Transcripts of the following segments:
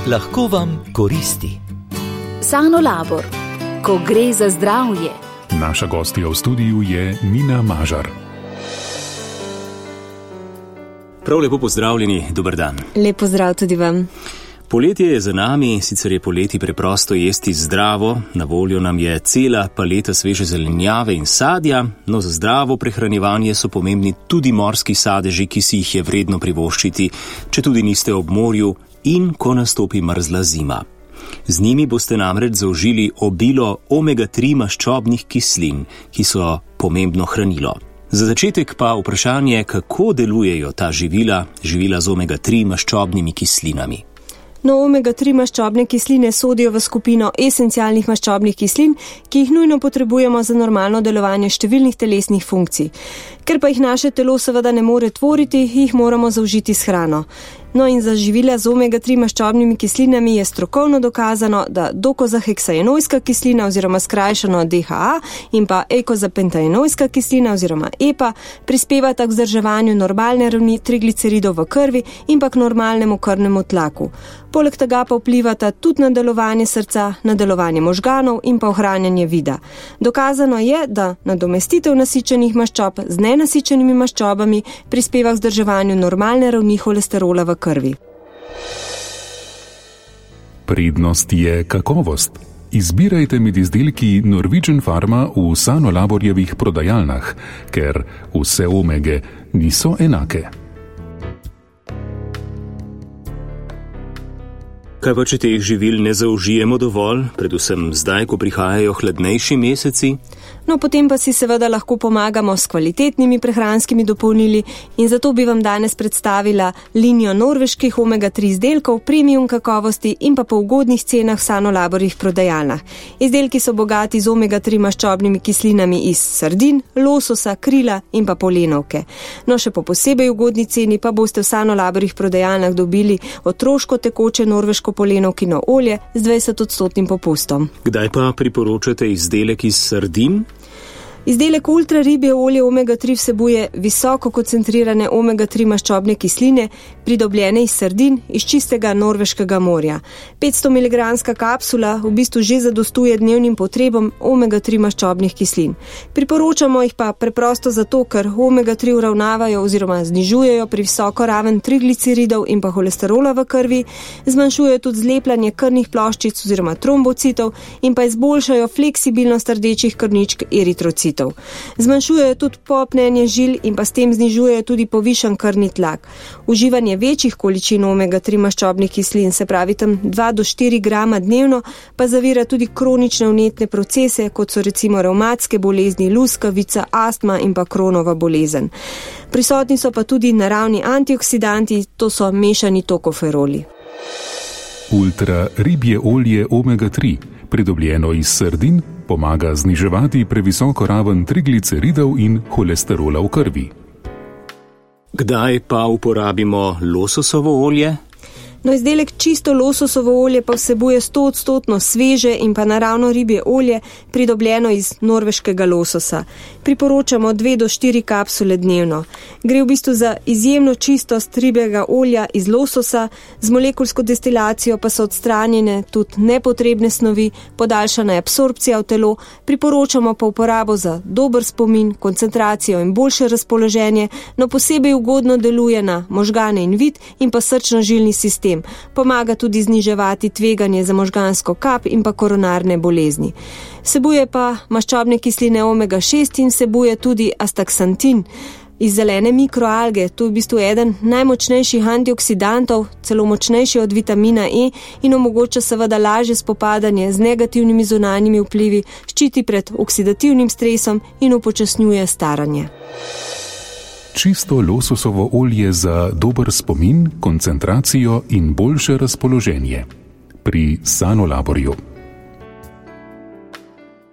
lahko vam koristi. Sanolabor, ko gre za zdravje. Naša gostja v studiu je Nina Mažar. Prav lepo pozdravljeni, dober dan. Lep pozdrav tudi vam. Poletje je za nami, sicer je poleti preprosto jesti zdravo, na voljo nam je cela paleta sveže zelenjave in sadja, no za zdravo prehranjevanje so pomembni tudi morski sadeži, ki si jih je vredno privoščiti, če tudi niste ob morju in ko nastopi mrzla zima. Z njimi boste namreč zaužili obilo omega-3 maščobnih kislin, ki so pomembno hranilo. Za začetek pa vprašanje, kako delujejo ta živila z omega-3 maščobnimi kislinami. No, omega-3 maščobne kisline sodijo v skupino esencialnih maščobnih kislin, ki jih nujno potrebujemo za normalno delovanje številnih telesnih funkcij. Ker pa jih naše telo seveda ne more tvoriti, jih moramo zaužiti s hrano. No in za živila z omega-3 maščobnimi kislinami je strokovno dokazano, da dokozaheksaenojska kislina oziroma skrajšano DHA in pa eikozapentaenojska kislina oziroma EPA prispevata k vzdrževanju normalne ravni trigliceridov v krvi in pa k normalnemu krvnemu tlaku. Poleg tega pa vplivata tudi na delovanje srca, na delovanje možganov in pa ohranjanje vida. Dokazano je, da nadomestitev nasičenih maščob z nenasičenimi maščobami prispeva k vzdrževanju normalne ravni holesterola v krvi. Prednost je kakovost. Izbirajte med izdelki Norwegian Pharma v Sanolaborjevih prodajalnah, ker vse omege niso enake. Kaj pa, če teh živil ne zaužijemo dovolj, predvsem zdaj, ko prihajajo hladnejši meseci? No, potem pa si seveda lahko pomagamo s kvalitetnimi prehranskimi dopolnili in zato bi vam danes predstavila linijo norveških omega-3 izdelkov, premium kakovosti in pa po ugodnih cenah v Sanolaborjih prodajalnah. Izdelki so bogati z omega-3 maščobnimi kislinami iz sardin, lososa, krila in pa polenovke. No, še po posebej ugodni ceni pa boste v Sanolaborjih prodajalnah dobili otroško tekoče norveško polenovkino olje z 20% popustom. Kdaj pa priporočate izdelek iz sardin? Izdelek ultra ribje olje omega-3 vsebuje visoko koncentrirane omega-3 maščobne kisline, pridobljene iz sardin iz čistega norveškega morja. 500 mg kapsula v bistvu že zadostuje dnevnim potrebam omega-3 maščobnih kislin. Priporočamo jih pa preprosto zato, ker omega-3 uravnavajo oziroma znižujejo previsoko raven trigliceridov in pa holesterola v krvi, zmanjšujejo tudi zlepljanje krvnih ploščic oziroma trombocitov in pa izboljšajo fleksibilnost rdečih krvničk eritrocitov. Zmanjšujejo tudi popnenje žil in pa s tem znižujejo tudi povišan krvni tlak. Uživanje večjih količin omega-3 maščobnih kislin, se pravi tam 2 do 4 grama dnevno, pa zavira tudi kronične vnetne procese, kot so recimo revmatske bolezni, luskavica, astma in pa Kronova bolezen. Prisotni so pa tudi naravni antioksidanti, to so mešani tokoferoli. Ultra ribje olje omega-3, pridobljeno iz sardin, pomaga zniževati previsoko raven trigliceridov in holesterola v krvi. Kdaj pa uporabimo lososovo olje? No, izdelek čisto lososovo olje pa vsebuje 100% sveže in pa naravno ribje olje, pridobljeno iz norveškega lososa. Priporočamo 2 do 4 kapsule dnevno. Gre v bistvu za izjemno čistost ribjega olja iz lososa, z molekulsko destilacijo pa so odstranjene tudi nepotrebne snovi, podaljšana je absorpcija v telo, priporočamo pa uporabo za dober spomin, koncentracijo in boljše razpoloženje, no posebej ugodno deluje na možgane in vid in pa srčno-žilni sistem. Pomaga tudi zniževati tveganje za možgansko kap in pa koronarne bolezni. Vsebuje pa maščobne kisline omega-6 in vsebuje tudi astaksantin iz zelene mikroalge. To je v bistvu eden najmočnejših antioksidantov, celo močnejši od vitamina E in omogoča seveda lažje spopadanje z negativnimi zunanjimi vplivi, ščiti pred oksidativnim stresom in upočasnjuje staranje. Čisto lososovo olje za dober spomin, koncentracijo in boljše razpoloženje. Pri Sanolaborju.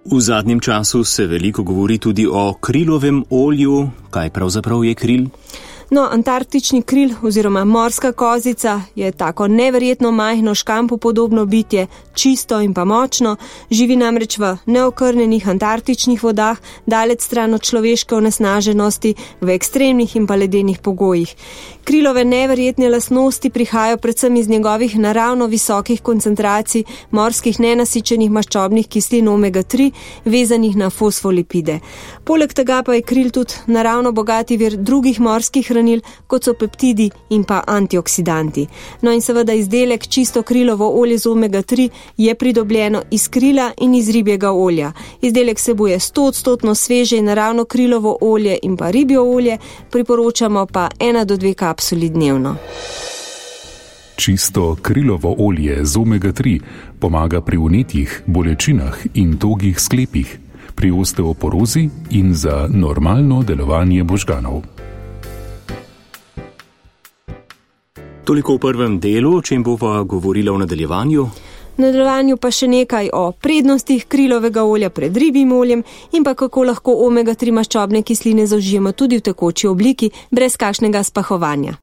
V zadnjem času se veliko govori tudi o krilovem olju. Kaj pravzaprav je kril? No, antarktični kril oziroma morska kozica je tako neverjetno majhno škampu podobno bitje, čisto in pa močno, živi namreč v neokrnjenih antarktičnih vodah, daleč stran od človeške onesnaženosti, v ekstremnih in pa ledenih pogojih. Krilove neverjetne lastnosti prihajajo predvsem iz njegovih naravno visokih koncentracij morskih nenasičenih maščobnih kislin omega-3, vezanih na fosfolipide. Poleg tega pa je kril tudi naravno bogati vir drugih morskih hranil, kot so peptidi in pa antioksidanti. No in seveda izdelek čisto krilovo olje z omega-3 je pridobljeno iz krila in iz ribjega olja. Izdelek vsebuje 100% sveže in naravno krilovo olje in pa ribjo olje, priporočamo pa 1 do 2 kapsuli dnevno. Čisto krilovo olje z omega-3 pomaga pri vnetjih, bolečinah in togih sklepih, pri osteoporozi in za normalno delovanje možganov. Toliko v prvem delu, o čem bova govorila v nadaljevanju. V nadaljevanju pa še nekaj o prednostih krilovega olja pred ribjim oljem in pa kako lahko omega-3 maščobne kisline zaužijemo tudi v tekoči obliki, brez kakšnega spahovanja.